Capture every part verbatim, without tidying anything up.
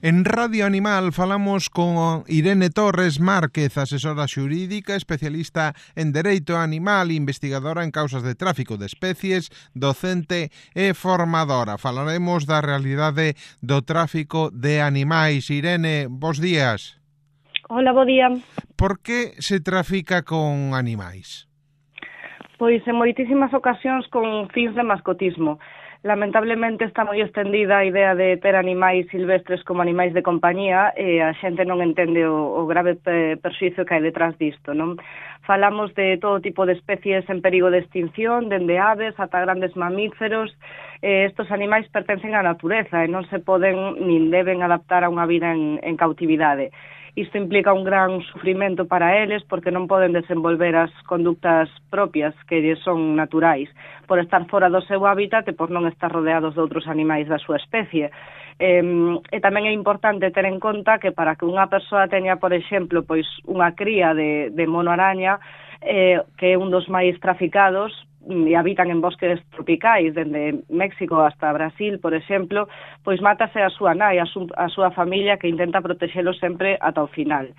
En Radio Animal falamos con Irene Torres Márquez, asesora xurídica, especialista en dereito animal, investigadora en causas de tráfico de especies, docente e formadora. Falaremos da realidade do tráfico de animais. Irene, bos días. Hola, bo día. Por que se trafica con animais? Pois en moitísimas ocasións con fins de mascotismo. Lamentablemente está moi extendida a idea de ter animais silvestres como animais de compañía e a xente non entende o, o grave perxuízo que hai detrás disto, non? Falamos de todo tipo de especies en perigo de extinción, dende aves ata grandes mamíferos. Eh, estos animais pertencen á natureza e non se poden nin deben adaptar a unha vida en, en cautividade. Isto implica un gran sufrimento para eles porque non poden desenvolver as conductas propias que son naturais por estar fora do seu hábitat e por non estar rodeados de outros animais da súa especie. E, e tamén é importante ter en conta que para que unha persoa teña, por exemplo, pois unha cría de, de mono araña, eh, que é un dos máis traficados, e habitan en bosques tropicais, dende México hasta Brasil, por exemplo, pois mátase a súa nai, a, su, a súa familia que intenta protexelo sempre ata o final.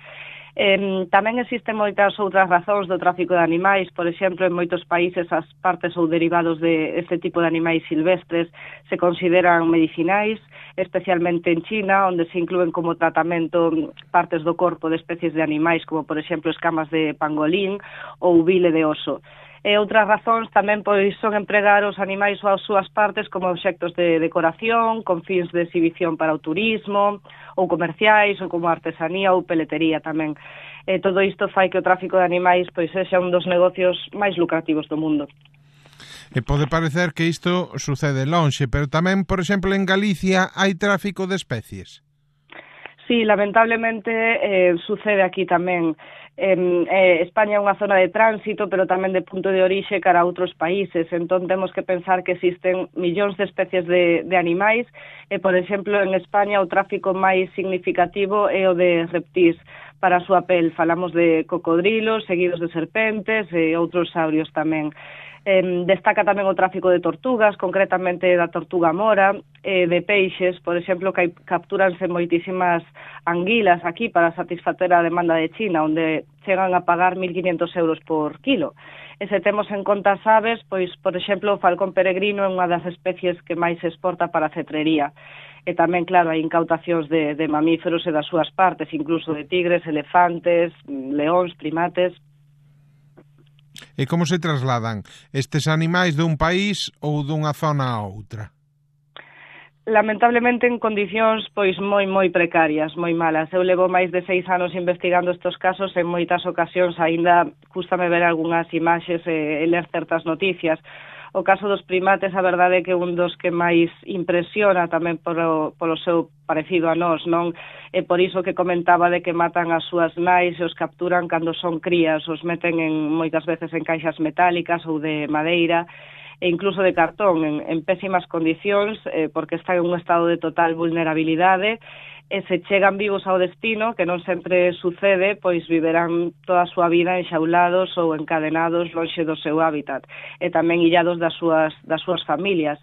Eh, tamén existen moitas outras razóns do tráfico de animais, por exemplo, en moitos países as partes ou derivados de este tipo de animais silvestres se consideran medicinais, especialmente en China, onde se inclúen como tratamento partes do corpo de especies de animais, como por exemplo escamas de pangolín ou bile de oso. E outras razóns tamén pois son empregar os animais ou as súas partes como obxectos de decoración, con fins de exhibición para o turismo, ou comerciais, ou como artesanía ou peletería tamén. E todo isto fai que o tráfico de animais pois sexa un dos negocios máis lucrativos do mundo. E pode parecer que isto sucede lonxe, pero tamén, por exemplo, en Galicia hai tráfico de especies. Sí, lamentablemente eh, sucede aquí tamén. Eh, eh, España é unha zona de tránsito, pero tamén de punto de orixe cara a outros países. Entón, temos que pensar que existen millóns de especies de, de animais. E, por exemplo, en España o tráfico máis significativo é o de reptís para a súa pel. Falamos de cocodrilos, seguidos de serpentes e outros saurios tamén. Eh, destaca tamén o tráfico de tortugas, concretamente da tortuga mora, eh, de peixes, por exemplo, que capturanse moitísimas anguilas aquí para satisfacer a demanda de China, onde chegan a pagar mil quinhentos euros por kilo. E se temos en conta as aves, pois, por exemplo, o falcón peregrino é unha das especies que máis se exporta para a cetrería. E tamén, claro, hai incautacións de, de mamíferos e das súas partes, incluso de tigres, elefantes, leóns, primates. E como se trasladan estes animais dun país ou dunha zona a outra? Lamentablemente en condicións pois moi moi precarias, moi malas. Eu levo máis de seis anos investigando estes casos e en moitas ocasións aínda cústame ver algunhas imaxes e, e ler certas noticias. O caso dos primates, a verdade é que un dos que máis impresiona tamén polo, polo seu parecido a nós, non? É por iso que comentaba de que matan as súas nais e os capturan cando son crías, os meten en moitas veces en caixas metálicas ou de madeira e incluso de cartón, en, en pésimas condicións, eh, porque están en un estado de total vulnerabilidade, e se chegan vivos ao destino, que non sempre sucede, pois viverán toda a súa vida enxaulados ou encadenados lonxe do seu hábitat, e tamén illados das súas, das súas familias.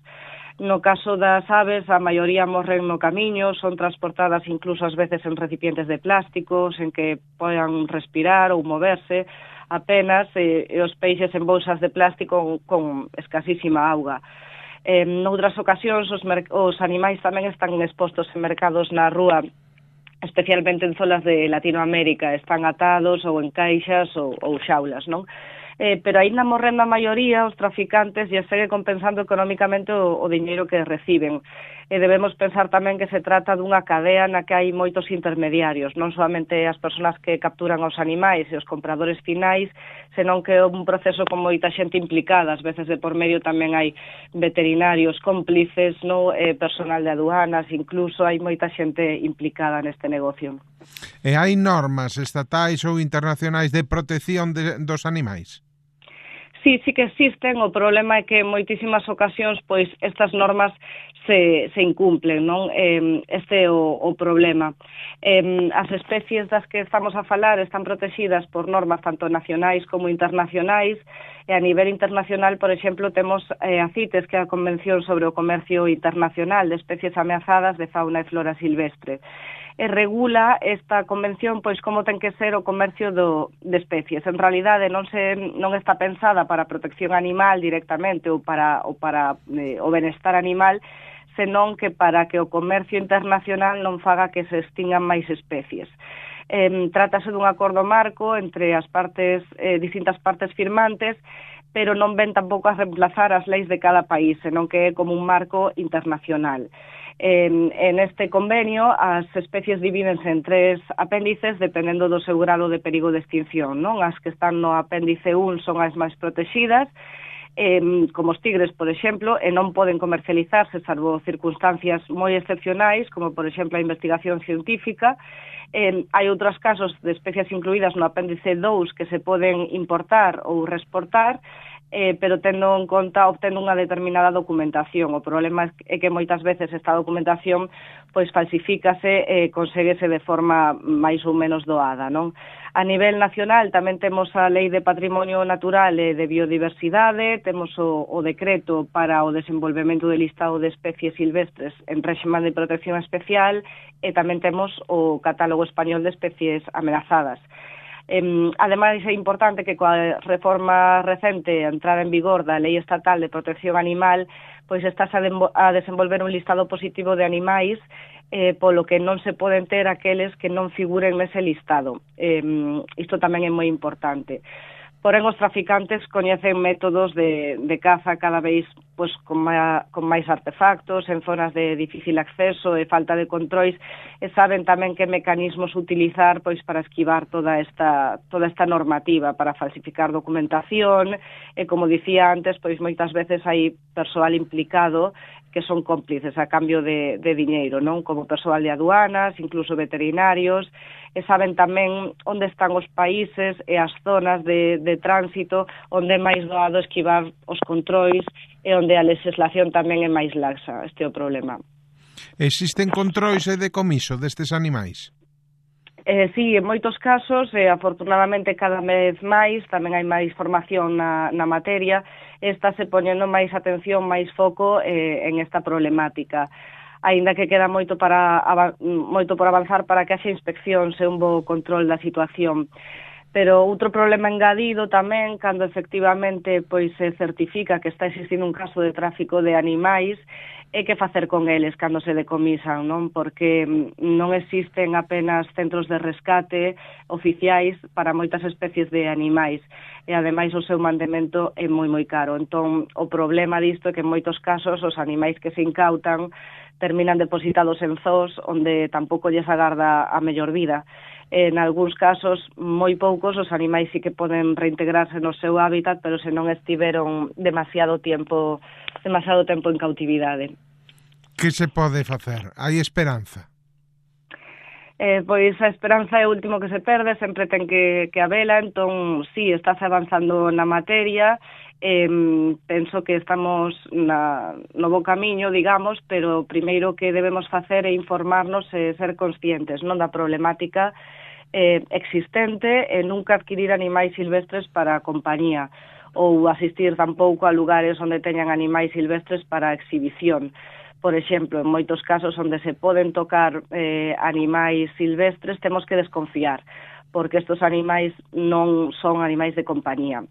No caso das aves, a maioría morren no camiño, son transportadas incluso ás veces en recipientes de plásticos, en que podan respirar ou moverse apenas, e, e os peixes en bolsas de plástico con escasísima auga. En outras ocasións os, os animais tamén están expostos en mercados na rúa, especialmente en zonas de Latinoamérica, están atados ou en caixas ou, ou xaulas, non? Eh, pero aínda morrendo a maioría, os traficantes e segue compensando económicamente o, o diñeiro que reciben. E debemos pensar tamén que se trata dunha cadea na que hai moitos intermediarios, non solamente as persoas que capturan os animais e os compradores finais, senón que é un proceso con moita xente implicada. Ás veces de por medio tamén hai veterinarios cómplices, no? eh, personal de aduanas, incluso hai moita xente implicada neste negocio. E hai normas estatais ou internacionais de protección de, dos animais? Sí, sí que existen. O problema é que en moitísimas ocasións pois estas normas se, se incumplen, non? Eh, este é o, o problema. Eh, as especies das que estamos a falar están protegidas por normas tanto nacionais como internacionais, e a nivel internacional, por exemplo, temos eh, a CITES, que é a Convención sobre o Comercio Internacional de Especies Ameazadas de Fauna e Flora Silvestre. E regula esta convención pois como ten que ser o comercio do, de especies. En realidade non se non está pensada para a protección animal directamente ou para ou para eh, o benestar animal, senón que para que o comercio internacional non faga que se extingan máis especies. Eh, trátase dun acordo marco entre as partes eh, distintas partes firmantes, pero non ven tampouco a reemplazar as leis de cada país, senón que é como un marco internacional. En, en este convenio as especies divídense en tres apéndices dependendo do seu grado de perigo de extinción, non? As que están no apéndice un son as máis protegidas, eh, como os tigres, por exemplo, e non poden comercializarse salvo circunstancias moi excepcionais, como por exemplo a investigación científica. Eh, hai outros casos de especies incluídas no apéndice dous que se poden importar ou reexportar, Eh, pero tendo en conta obtendo unha determinada documentación. O problema é que moitas veces esta documentación pois falsifícase e eh, conseguese de forma máis ou menos doada, non? A nivel nacional tamén temos a Lei de Patrimonio Natural e de Biodiversidade, temos o, o decreto para o desenvolvemento do listado de especies silvestres en réxime de protección especial, e tamén temos o Catálogo Español de Especies Amenazadas. Eh, ademais, é importante que coa reforma recente a entrada en vigor da Lei Estatal de Protección Animal, pois estás a, a desenvolver un listado positivo de animais, eh, polo que non se poden ter aqueles que non figuren nese listado. Eh, isto tamén é moi importante. Porén, os traficantes coñecen métodos de, de caza cada vez pois, con, ma, con máis artefactos, en zonas de difícil acceso e falta de controis, e saben tamén que mecanismos utilizar pois para esquivar toda esta, toda esta normativa, para falsificar documentación, e como dicía antes, pois moitas veces hai persoal implicado que son cómplices a cambio de, de diñeiro, non? Como persoal de aduanas, incluso veterinarios, e saben tamén onde están os países e as zonas de, de tránsito onde é máis doado esquivar os controis e onde a legislación tamén é máis laxa. Este é o problema. Existen controis e decomiso destes animais? Eh, sí, en moitos casos, e afortunadamente cada vez máis, tamén hai máis formación na, na materia, está se poñendo máis atención, máis foco eh, en esta problemática. Aínda que queda moito para moito por avanzar para que haxa inspeccións e un bo control da situación. Pero outro problema engadido tamén, cando efectivamente pois se certifica que está existindo un caso de tráfico de animais, é que facer con eles cando se decomisan, non? Porque non existen apenas centros de rescate oficiais para moitas especies de animais, e ademais o seu mantemento é moi moi caro. Entón, o problema disto é que en moitos casos os animais que se incautan terminan depositados en zoos onde tampouco lles agarda a mellor vida. En algúns casos, moi poucos, os animais sí que poden reintegrarse no seu hábitat, pero se non estiveron demasiado tempo, demasiado tempo en cautividade. Que se pode facer? Hai esperanza? Eh, pois a esperanza é o último que se perde, sempre ten que, que habela, entón, sí, estás avanzando na materia, eh, penso que estamos na, no bo camiño, digamos, pero o primeiro que debemos facer é informarnos e ser conscientes, non, da problemática eh, existente e nunca adquirir animais silvestres para a compañía ou asistir tampouco a lugares onde teñan animais silvestres para a exhibición. Por exemplo, en moitos casos onde se poden tocar eh, animais silvestres, temos que desconfiar, porque estos animais non son animais de compañía.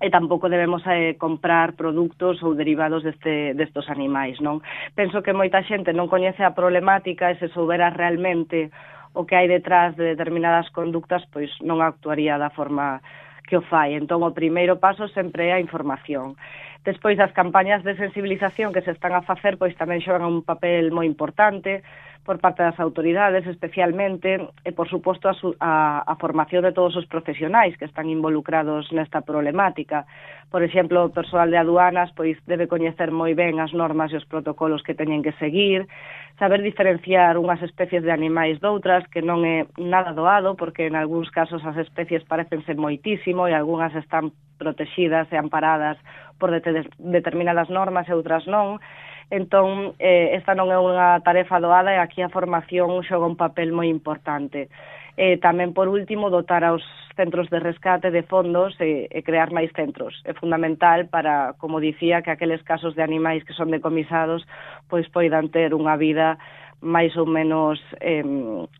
E tampouco debemos eh, comprar produtos ou derivados deste, destos animais, non? Penso que moita xente non coñece a problemática e se soubera realmente o que hai detrás de determinadas conductas, pois non actuaría da forma que o fai. Entón, o primeiro paso sempre é a información. Despois, as campañas de sensibilización que se están a facer, pois tamén xogan un papel moi importante por parte das autoridades, especialmente, e, por suposto, a, a, a formación de todos os profesionais que están involucrados nesta problemática. Por exemplo, o persoal de aduanas pois debe coñecer moi ben as normas e os protocolos que teñen que seguir, saber diferenciar unhas especies de animais doutras, que non é nada doado, porque en algúns casos as especies parecense moitísimo e algunhas están protegidas e amparadas por determinadas normas e outras non. Entón, eh, esta non é unha tarefa doada e aquí a formación xoga un papel moi importante. E tamén, por último, dotar aos centros de rescate de fondos e, e crear máis centros. É fundamental para, como dicía, que aqueles casos de animais que son decomisados pois poidan ter unha vida máis ou menos eh,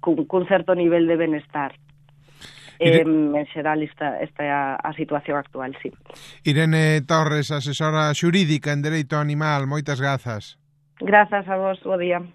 cun, cun certo nivel de benestar. Eh, en xeral, esta, esta é a, a situación actual, sí. Irene Torres, asesora xurídica en Dereito Animal, moitas grazas. Grazas a vos, bo día.